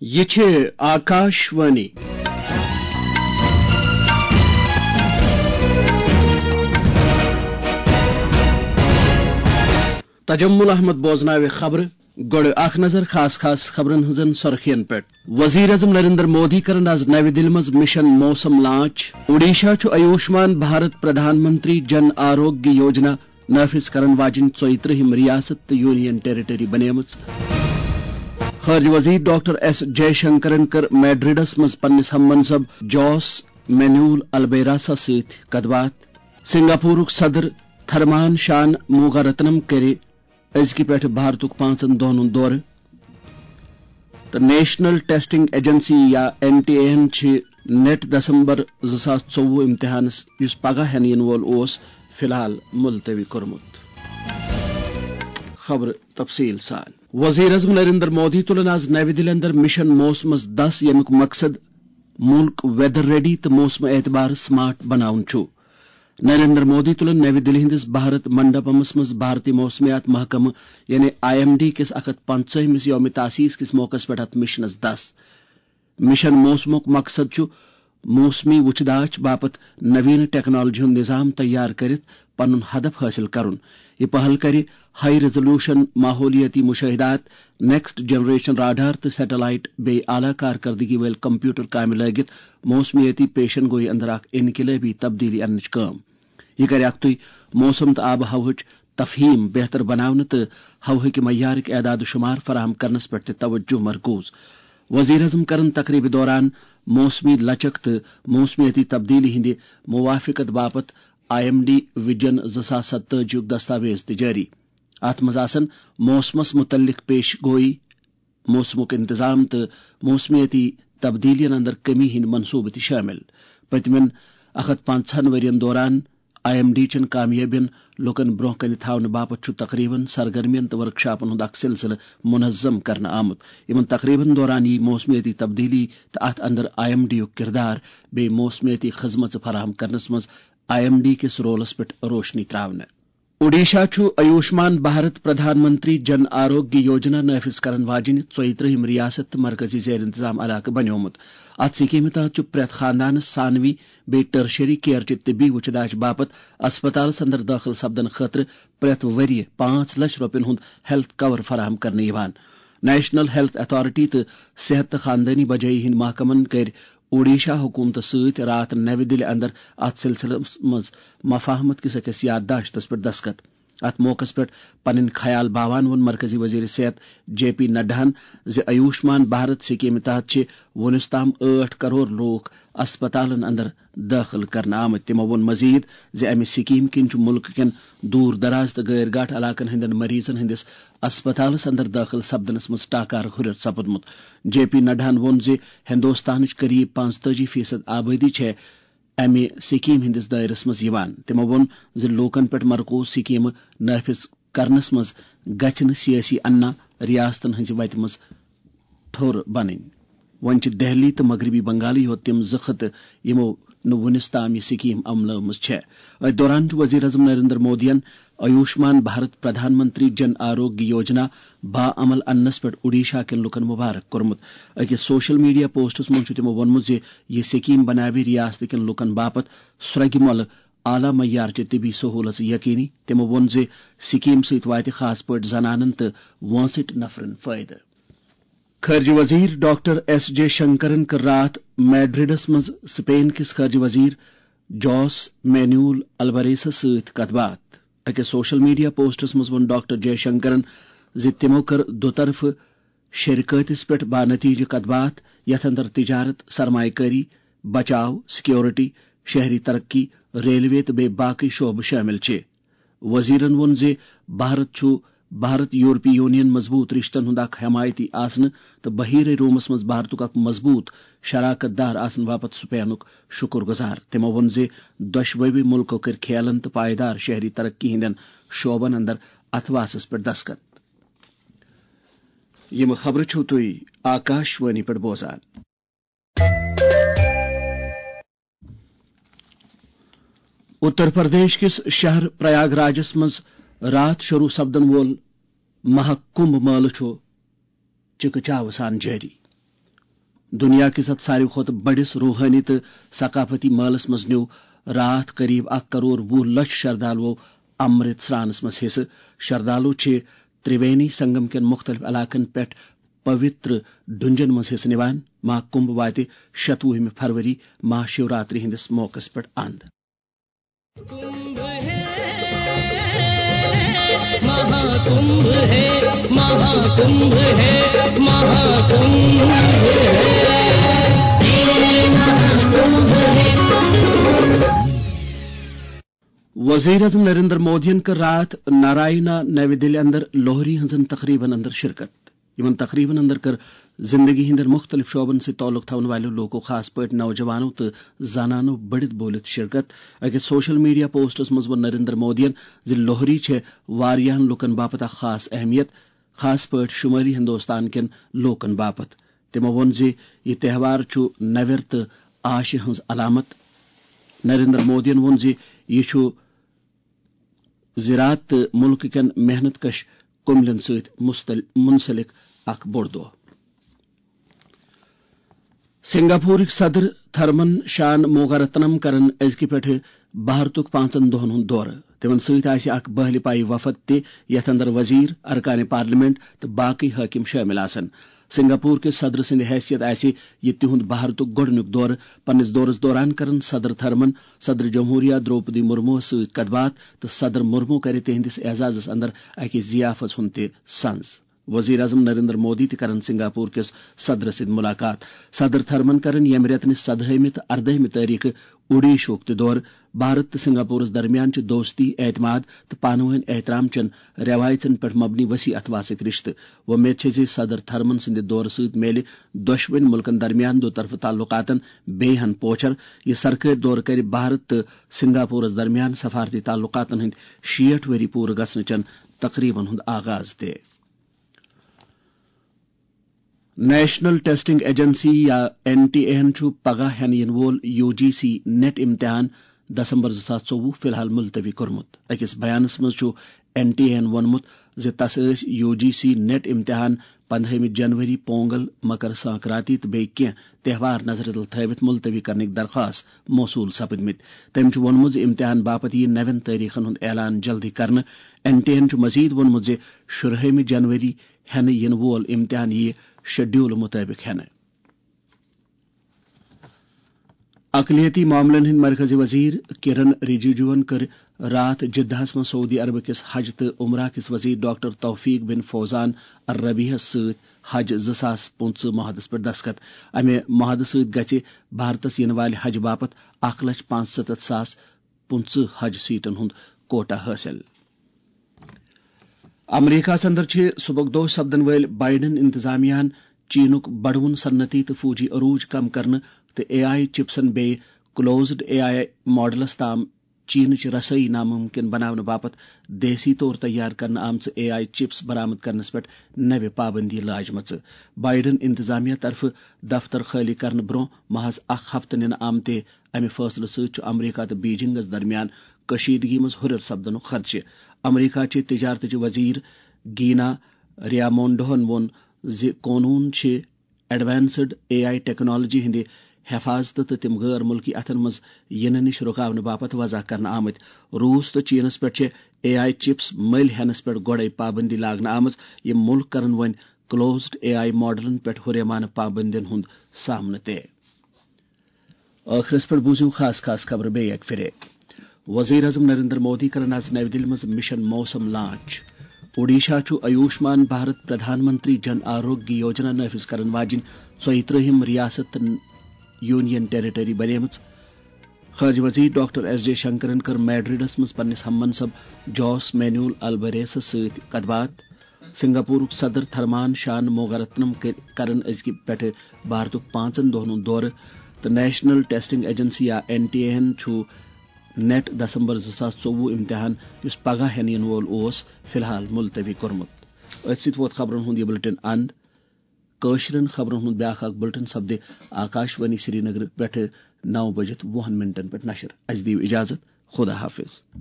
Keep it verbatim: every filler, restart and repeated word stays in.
یہِ چھِ آکاش وانی۔ تجمل احمد بوزناوِ خبرٕ۔ گۄڈٕ اکھ نظر خاص خاص خبرن ہٕنٛزن سرخین پٮ۪ٹھ۔ وزیر اعظم نریندر مودی کرن از نوِ دِلہِ منٛز مشن موسم لانچ۔ اوڈیشہ چھُ آیوشمان بھارت پردھان منتری جن آروگیہ یوجنا نافذ کرن واجنۍ ژۄیہِ ترٕٛہِم ریاست تہٕ یونین ٹیریٹری بنیمٕژ۔ خارجہ وزیر ڈاکٹر ایس جے شنکرن کٔر میڈرڈس منٛز پننِس ہم منصب جوس مینول البیراسا سۭتۍ کتھ باتھ۔ سنگاپورُک صدر تھرمان شان موگا رتنم کٔرِ أزکہِ پٮ۪ٹھٕ بھارتُک پانٛژن دۄہن ہُنٛد دورٕ۔ تہٕ نیشنل ٹیسٹنگ ایجنسی یا این ٹی اے ہن چھِ نیٹ دسمبر زٕ ساس ژوٚوُہ امتحانس، یُس پگاہ ہٮ۪نہٕ یِنہٕ وول اوس، فی الحال ملتوی کوٚرمُت۔ خبرٕ تفصیل سان۔ وزیر اعظم نریندر مودی تُلن آز نوِ دِلہِ اندر مشن موسمس دس، ییٚمیُک مقصد مُلک ویدر ریڈی تہٕ موسمہٕ اعتبار سمارٹ بناوُن چھُ۔ نریندر مودی تُلن نوِ دِلہِ ہٕنٛدِس بھارت منڈپمس منٛز بھارتی موسمیات محکمہٕ یعنی آئی ایم ڈی کِس اکھ ہتھ پنٛژاہمِس یوم تاسیس کِس موقعس پٮ۪ٹھ اتھ مشنس دس۔ مشن موسمُک مقصد چھُ موسمی وُچھداچھ باپتھ نوین ٹیکنالوجی ہُنٛد نظام تیار کٔرِتھ پنُن ہدف حٲصِل کرُن۔ یہِ پہل کرِ ہائی ریزولوشن ماحولیٲتی مشاہدات، نیکسٹ جنریشن راڈار تہٕ سیٹلائٹ بیٚیہِ اعلیٰ کارکردگی وٲلۍ کمپیوٹر کامہِ لٲگِتھ موسمیٲتی پیشن گوئی اندر اکھ انقلٲبی تبدیلی اننٕچ کٲم۔ یہِ کرِ اکھتُے موسم تہٕ آب و ہوہٕچ تفہیم بہتر بناونہٕ تہٕ ہوہٕکہِ معیارٕکۍ اعداد و شمار فراہم کرنس پٮ۪ٹھ تہِ توجہ مرکوز۔ وزیر اعظم کرن تقریبہِ دوران موسمی لچک تہٕ موسمیٲتی تبدیلی ہٕنٛدِ موافقت باپتھ آئی ایم ڈی ویژن زٕ ساس ستٲجی یُک دستاویز تہِ جٲری۔ اتھ منٛز آسن موسمس متعلق پیش گوئی، موسمُک انتظام تہٕ موسمیٲتی تبدیلیَن اندر کمی ہٕنٛدۍ منصوبہٕ تہِ شٲمِل۔ پٔتمٮ۪ن اکھ ہتھ پنٛژاہن ؤرین دوران آئی ایم ڈی چٮ۪ن کامیٲبین لوٗکن برٛونٛہہ کنہِ تھاونہٕ باپتھ چھُ تقریبن، سرگرمین تہٕ ورکشاپن ہُنٛد اکھ سلسلہٕ منظم کرنہٕ آمُت۔ یِمن تقریبن دوران یِیہِ موسمیٲتی تبدیلی تہٕ اتھ اندر آئی ایم ڈی یُک کردار بیٚیہِ موسمیٲتی خدمژٕ فراہم کرنس منٛز آئی ایم ڈی کِس رولس پٮ۪ٹھ روشنی تراونہٕ۔ اوڈیشہ چھُ آیوشمان بھارت پردھان منتری جن آروگیہ یوجنا نافذ کرن واجنۍ ژۄیہِ ترٕٛہِم ریاست تہٕ مرکزی زیر انتظام علاقہٕ بنیومُت۔ اتھ سکیمہِ تحت چھُ پرٛٮ۪تھ خاندانس ثانوی بیٚیہِ ٹرشری کیئر چہِ طبی وُچھداچھ باپتھ اسپتالس اندر دٲخل سپدن خٲطرٕ پرٛٮ۪تھ ؤرۍ یہِ پانٛژھ لچھ رۄپین ہُنٛد ہیلتھ کور فراہم کرنہٕ یِوان۔ نیشنل ہیلتھ اتھارٹی تہٕ صحت تہٕ خاندٲنی بجٲیی ہٕنٛدۍ محکمن کٔرۍ اوڈیشہ حکومتس سۭتۍ راتھ نوِ دِلہِ اندر اتھ سلسلس منٛز مفاہمت کِس أکِس یادداشتس پٮ۪ٹھ دستخط۔ اتھ موقعس پٮ۪ٹھ پنٕنۍ خیال باوان ووٚن مرکزی وزیر صحت جے پی نڈاہن زِ آیوشمان بھارت سکیمہِ تحت چھِ وُنیُس تام ٲٹھ کرور لوٗکھ اسپتالن اندر دٲخل کرنہٕ آمٕتۍ۔ تِمو ووٚن مزید زِ امہِ سکیمہِ کِنۍ چھُ مُلکہٕ کٮ۪ن دوٗر دراز تہٕ غٲر گاٹھ علاقن ہٕنٛدٮ۪ن مریضن ہٕنٛدِس اسپتالس اندر دٲخل سپدنس منٛز ٹاکارٕ ہُرٮ۪ر سپُدمُت۔ جے پی نڈاہن ووٚن زِ ہندوستانٕچ قریب پانٛژتٲجی فیصد آبٲدی چھےٚ امہِ سکیمہِ ہٕنٛدِس دٲیرس منٛز یِوان۔ تِمو ووٚن زِ لوٗکن پٮ۪ٹھ مرکوز سکیمہٕ نافذ کرنس منٛز گژھِ نہٕ سیٲسی انا ریاستن ہٕنٛزِ وتہِ منٛز ٹھوٚر بنٕنۍ۔ وۄنۍ چھِ دہلی تہٕ مغربی بنگالٕے یوت تِم زٕ خطہٕ، یِمو نہٕ وُنِس تام یہِ سکیٖم عملٲومٕژ چھےٚ۔ أتھۍ دوران چھُ وزیر اعظم نریندر مودیَن آیوشمان بھارت پردھان منتری جن آروگیہ یوجنا باعمل اننس پٮ۪ٹھ اوڈیشہ کٮ۪ن لوٗکَن مبارک کوٚرمُت۔ أکِس سوشل میڈیا پوسٹَس منٛز چھُ تِمو ووٚنمُت زِ یہِ سکیٖم بناوِ ریاست کٮ۪ن لوٗکَن باپتھ سرٛگہِ مۄلہٕ اعلیٰ معیار چہِ طبی سہوٗلژٕ یقینی۔ تِمو ووٚن زِ سکیٖم سۭتۍ واتہِ خاص پٲٹھۍ زنانَن تہٕ وٲنٛسٕٹۍ نفرَن فٲیدٕ۔ خارجہ وزیر ڈاکٹر ایس جے شنکرن کٔر راتھ میڈرڈس منٛز سپین کِس خارجہ وزیر جوس مینول البریسس سۭتۍ کتھ باتھ۔ أکِس سوشل میڈیا پوسٹس منٛز ووٚن ڈاکٹر جے شنکرن زِ تِمو کٔر دُطرفہٕ شراکتس پٮ۪ٹھ بانتیجہ کتھ باتھ، یتھ اندر تجارت، سرمایہ کٲری، بچاو، سیکورٹی، شہری ترقی، ریلوے تہٕ بیٚیہِ باقی شعبہٕ شٲمِل چھِ۔ وزیرن ووٚن زِ بھارت چھُ بھارت یورپی یونین مضبوط رشتن ہُنٛد اکھ حمایتی آسنہٕ تہٕ بحیرہ رومس منٛز بھارتُک اکھ مضبوط شراکت دار آسنہٕ باپتھ سپینُک شکر گزار۔ تِمو ووٚن زِ دۄشوٕے مُلکو کٔرۍ کھیلن تہٕ پائیدار شہری ترقی ہٕنٛدٮ۪ن شعبن اندر اتھواسس پٮ۪ٹھ دستخط۔ یِم خبرٕ چھِو تُہۍ آکاش وانی پٮ۪ٹھ بوزان۔ اتر پردیش کِس شہر پریاگ راجس منٛز راتھ شروع سپدن وول مہا کمبھ مٲلہٕ چھُ چکہ چاوٕ سان جٲری۔ دنیا کِس اتھ ساروی کھۄتہٕ بٔڑِس روحٲنی تہٕ ثقافتی مٲلَس منٛز نیوٗ راتھ قریب اکھ کرور وُہ لچھ شردالوو امرت سرانَس منٛز حصہٕ۔ شردالو چھِ ترٛوینی سنگم کٮ۪ن مُختٔلِف علاقن پٮ۪ٹھ پوتر ڈُنجن منٛز حصہٕ نِوان۔ مہا کُمبھ واتہِ شتوُہمہِ فروری مہا شیوراتری ہٕنٛدِس موقعس پٮ۪ٹھ اند۔ कुंभ है, महाकुंभ है, महाकुंभ है, महाकुंभ है। وزیر اعظم نریندر مودیَن کٔر راتھ نارائنا نوی دِلہِ اندر لوہری ہٕنٛزن تقریبن اندر شرکت۔ یِمن تقریبن اندر کٔر زندگی ہٕنٛدٮ۪ن مُختٔلِف شعبن سۭتۍ تعلق تھاون والٮ۪و لوٗکو، خاص پٲٹھۍ نوجوانو تہٕ زنانو بٔڑِتھ بوٗلِتھ شرکت۔ أکِس سوشل میڈیا پوسٹس منٛز ووٚن نریندر مودیَن زِ لوہری چھےٚ واریاہن لوٗکن باپتھ اکھ خاص اہمیت، خاص پٲٹھۍ شمٲلی ہندوستان کٮ۪ن لوٗکن باپتھ۔ تِمو ووٚن زِ یہِ تہوار چھُ نوٮ۪ر تہٕ آشہِ ہٕنٛز علامت۔ نریندر مودیَن ووٚن زِ یہِ چھُ زراعت تہٕ مُلکہٕ کٮ۪ن محنت کش کُملٮ۪ن سۭتۍ مستل-، منسلک اکھ بوٚڑ دۄہ۔ سنگاپورٕکۍ صدر تھرمن شان موگارتنم کرن أزکہِ پٮ۪ٹھٕ بھارتُک پانٛژن دۄہن ہُنٛد دورٕ۔ تِمن سۭتۍ آسہِ اکھ بہلہِ پایہِ وفد تہِ، یتھ اندر وزیر، ارکان پارلیمنٹ تہٕ باقٕے حٲکِم شٲمِل آسن۔ سنگاپور کِس صدر سٕنٛدِ حیثیت آسہِ یہِ تِہُنٛد بھارتُک گۄڈٕنیُک دورٕ۔ پننِس دورس دوران کرن صدر تھرمن صدر جمہوریہ درٛوپدی مرموہس سۭتۍ کتھ باتھ تہٕ صدر مرمو کرِ تِہنٛدِس اعزازس اندر اکہِ ضیافژ ہُنٛد تہِ سنز۔ وزیر اعظم نریندر مودی تہِ کرن سنگاپور کِس صدرس سۭتۍ ملاقات۔ صدر تھرمن کرن ییٚمہِ رٮ۪تہٕ نِس سدہٲمہِ تہٕ اردٲہمہِ تٲریخہٕ اوڈیشہُک تہِ دورٕ۔ بھارت تہٕ سنگاپورس درمیان چھِ دوستی، اعتماد تہٕ پانہٕ وٲنۍ احترام چٮ۪ن رٮ۪وایژن پٮ۪ٹھ مبنی وسیع اتھواسٕکۍ رشتہٕ۔ وۄمید چھےٚ زِ صدر تھرمن سٕنٛدِ دورٕ سۭتۍ میلہِ دۄشوٕنۍ مُلکن درمیان دو طرفہٕ تعلقاتن بیٚیہِ ہن پوچھر۔ یہِ سرکٲرۍ دورٕ کرِ بھارت تہٕ سنگاپورس درمیان سفارتی تعلقاتن ہٕنٛدۍ شیٹھ ؤری پوٗرٕ گژھنہٕ چٮ۪ن تقریبن ہُنٛد آغاز تہِ۔ نیشنل ٹیسٹنگ ایجنسی یا این ٹی اے ہن چھُ پگاہ ہٮ۪نہٕ یِنہٕ وول یو جی سی نیٹ امتحان دسمبر زٕ ساس ژوٚوُہ فی الحال ملتوی کوٚرمُت۔ أکِس بیانس منٛز چھُ این ٹی اے ہن ووٚنمُت زِ تس ٲسۍ یو جی سی نیٹ امتحان پندہٲمہِ جنوری، پونگل، مکر سنکرانتی تہٕ بیٚیہِ کینٛہہ تہوار نظرِ تل تھٲوِتھ ملتوی کرنٕکۍ درخواست موصول سپٕدمٕتۍ۔ تٔمۍ چھُ ووٚنمُت زِ امتحان باپتھ یِیہِ نوٮ۪ن تٲریخن ہُنٛد اعلان جلدی کرنہٕ۔ این ٹی اے ہن چھُ مزید ووٚنمُت زِ شُرہٲمہِ جنوری ہٮ۪نہٕ یِنہٕ وول امتحان یِیہِ شیڈول مُطٲبِق ہٮ۪نہٕ۔ اقلیتی معاملن ہٕنٛدۍ مرکزی وزیر کرن رجیجوَن کٔر راتھ جدہَس منٛز سعودی عربہٕ کِس حج تہٕ عمرہ کِس وزیر ڈاکٹر توفیق بن فوزان الربیحَس سۭتۍ حج زٕ ساس پٕنٛژٕہ معاہدس پٮ۪ٹھ دستخط۔ امہِ معاہدٕ سۭتۍ گژھِ بھارتس یِنہٕ والہِ حج باپتھ اکھ لچھ پانٛژستتھ ساس پٕنٛژٕہ حج سیٹن ہُنٛد کوٹا حٲصِل۔ امریکہس اندر چھِ صبحُک دۄہ سپدن وٲلۍ بائیڈن انتظامیہ ہن چینُک بڑوُن صنعتی تہٕ فوجی عروج کم کرنہٕ تہٕ اے آئی چپسن بیٚیہِ کلوزڈ اے آئی ماڈلس تام چینٕچ رسٲیی ناممکن بناونہٕ باپتھ دیسی طور تیار کرنہٕ آمژٕ اے آئی چپس برآمد کرنس پٮ۪ٹھ نوِ پابندی لاجمژٕ۔ بائیڈن انتظامیہ طرفہٕ دفتر خٲلی کرنہٕ برونٛہہ محض اکھ ہفتہٕ نِنہٕ آمتہِ امہِ فٲصلہٕ سۭتۍ چھُ امریکہ تہٕ بیجنگس درمیان کشیدگی منٛز ہُرٮ۪ر سپدنُک خدشہٕ۔ امریکہ چہِ تجارتٕچ وزیر گینا ریامونڈوہن ووٚن زِ قونوٗن چھِ ایڈوانسڈ اے آئی ٹیکنالوجی ہٕنٛدِ حفاظتہٕ تہٕ تِم غٲر مُلکی اَتھن منٛز یِنہٕ نِش رُکاونہٕ باپتھ وضع کرنہٕ آمٕتۍ۔ روٗس تہٕ چینَس پٮ۪ٹھ چھِ اے آئی چپس مٔلۍ ہٮ۪نَس پٮ۪ٹھ گۄڈَے پابندی لاگنہٕ آمٕژ۔ یِم مُلک کرَن وۄنۍ کلوزڈ اے آئی ماڈلَن پٮ۪ٹھ ہُریمانہٕ پابندین ہُنٛد سامنہٕ تہِ۔ ٲخرس پٮ۪ٹھ بوٗزِو خاص خاص خبرٕ بیٚیہِ اکہِ پھِرِ۔ وزیر اعظم نریندر مودی کرن آز نَوِ دِلہِ منٛز مشن موسم لانچ۔ اوڈیشہ چھُ آیوشمان بھارت پردھان منتری جن آروگیہ یوجنا نافذ کرن واجِنۍ ژۄیہِ ترٛہِم ریاست تہٕ یونین ٹیریٹری بنیمٕژ۔ خارجہ وزیر ڈاکٹر ایس جے شنکرن کٔر میڈرڈس منٛز پننِس ہم منصب جوس مینول البریسس سۭتۍ کتھ باتھ۔ سنگاپورُک صدر تھرمان شان موگارتنم کٔر-، کرن أزکہِ پٮ۪ٹھٕ بھارتُک پانٛژن دۄہن ہُنٛد دورٕ تہٕ نیشنل ٹیسٹنگ ایجنسی یا این ٹی اے ہن چھُ نیٹ دسمبر زٕ ساس ژوٚوُہ امتحان، یُس پگاہ ہٮ۪نہٕ یِنہٕ وول اوس، فی الحال ملتوی کوٚرمُت۔ أتھۍ سۭتۍ ووت خبرن ہُنٛد یہِ بُلٹن اند۔ کٲشرٮ۪ن خبرن ہُنٛد بیٛاکھ اکھ بُلٹن سپدِ آکاش وانی سرینگر پٮ۪ٹھٕ نو بجِتھ وُہن منٹن پٮ۪ٹھ نشر۔ اَسہِ دِیِو اجازت۔ خدا حافظ۔